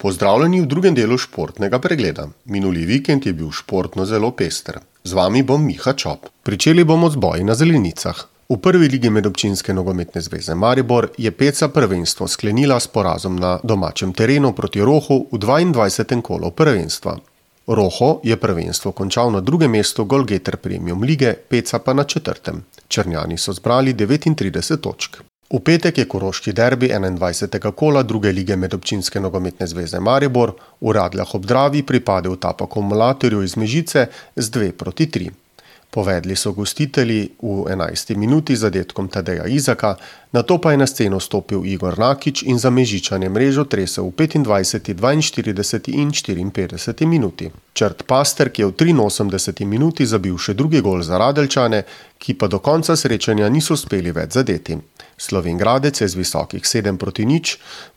Pozdravljeni v drugem delu športnega pregleda. Minuli vikend je bil športno zelo pester. Z vami bom Miha Čop. Pričeli bomo z boji na zelenicah. V prvi ligi Medobčinske nogometne zveze Maribor je Peca prvenstvo sklenila s porazom na domačem terenu proti Rohu v 22. kolu prvenstva. Roho je prvenstvo končal na drugem mestu Golgeter Premium lige, Peca pa na 4. Črnjani so zbrali 39 točk. V petek je koroški derbi 21. kola druge lige Medobčinske nogometne zveze Maribor v Radljah ob Dravi pripadel Tapa Akumulatorju iz Mežice z 2-3. Povedli so gostitelji v 11. minuti z zadetkom Tadeja Izaka, nato pa je na sceno stopil Igor Nakič in za Mežičane mrežo tresel v 25., 42. in 54. minuti. Črt Paster, ki je v 83. minuti zabil še drugi gol za Radeljčane, ki pa do konca srečanja niso uspeli več zadeti. Slovenjgradec je z visokih 7-0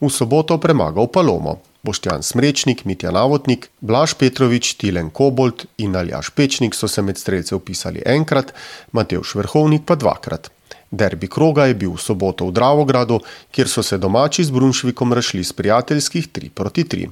v soboto premagal Palomo. Boštjan Smrečnik, Mitja Navotnik, Blaž Petrovič, Tilen Kobolt in Aljaž Pečnik so se med strelce vpisali enkrat, Matevž Vrhovnik pa dvakrat. Derbi kroga je bil v soboto v Dravogradu, kjer so se domači z Brunšvikom razšli s prijateljskih 3-3.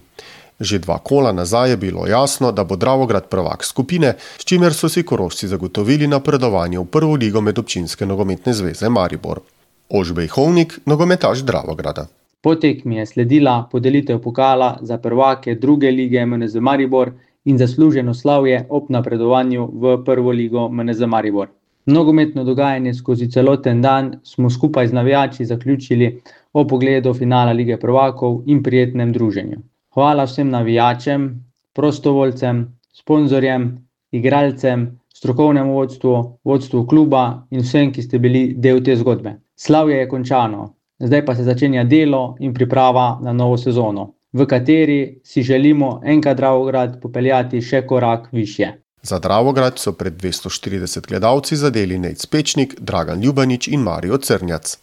Že 2 kola nazaj je bilo jasno, da bo Dravograd prvak skupine, s čimer so si Korošci zagotovili napredovanje v prvo ligo Medobčinske nogometne zveze Maribor. Ožbej Hovnik, nogometaš Dravograda. Po tekmi je sledila podelitev pokala za prvake druge lige MNZ Maribor in zasluženo slavje ob napredovanju v prvo ligo MNZ Maribor. Nogometno dogajanje skozi celoten dan smo skupaj z navijači zaključili ob pogledu finala lige prvakov in prijetnem druženju. Hvala vsem navijačem, prostovoljcem, sponzorjem, igralcem, strokovnemu vodstvu kluba in vsem, ki ste bili del te zgodbe. Slavje je končano. Zdaj pa se začenja delo in priprava na novo sezono, v kateri si želimo enkrat Dravograd popeljati še korak višje. Za Dravograd so pred 240 gledalci zadeli Nejc Pečnik, Dragan Ljubanič in Mario Crnjac.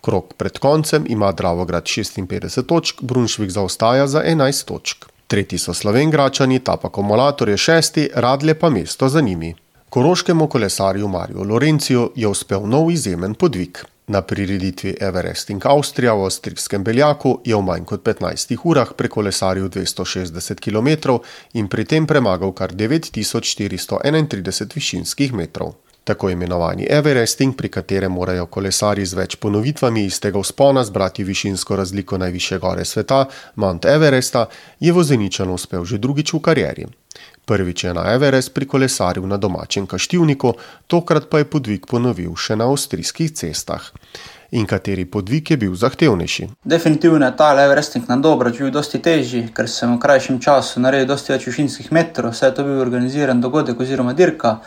Krog pred koncem ima Dravograd 56 točk, Brunšvik zaostaja za 11 točk. Tretji so Slovenjgračani, Tapa Akumulator je 6., Radlje pa mesto za njimi. Koroškemu kolesarju Mariju Lorenciju je uspel nov izjemen podvig. Na prireditvi Everesting Avstrija v avstrijskem Beljaku je v manj kot 15 urah prekolesaril 260 km in pri tem premagal kar 9431 višinskih metrov. Tako imenovani Everesting, pri katerem morajo kolesarji z več ponovitvami istega vzpona zbrati višinsko razliko najvišje gore sveta, Mount Everesta, je Vozeničanu uspel že drugič v karieri. Prvič je na Everest prikolesaril na domačem Kaštivniku, tokrat pa je podvig ponovil še na avstrijskih cestah. In kateri podvig je bil zahtevnejši? Definitivno je ta Everesting na Dobrč bil dosti težji, ker sem v krajšem času naredil dosti več višinskih metrov, saj je to bil organiziran dogodek oziroma dirka.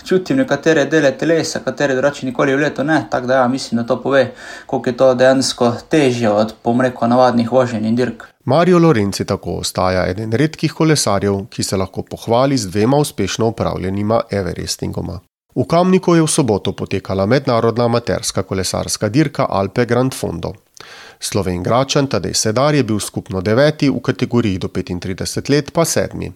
Čutim nekatere dele telesa, katere drugače nikoli v letu ne, tako da mislim, da to pove, koliko je to dejansko težje od, navadnih voženj in dirk. Mario Lorenci tako ostaja eden redkih kolesarjev, ki se lahko pohvali z 2 uspešno opravljenima Everestingoma. V Kamniku je v soboto potekala mednarodna amaterska kolesarska dirka Alpe Grand Fondo. Slovenjgračan Tadej Sedar je bil skupno 9., v kategoriji do 35 let pa 7.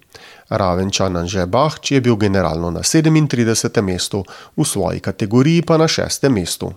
Ravenčan Anže Bahč je bil generalno na 37. mestu, v svoji kategoriji pa na 6. mestu.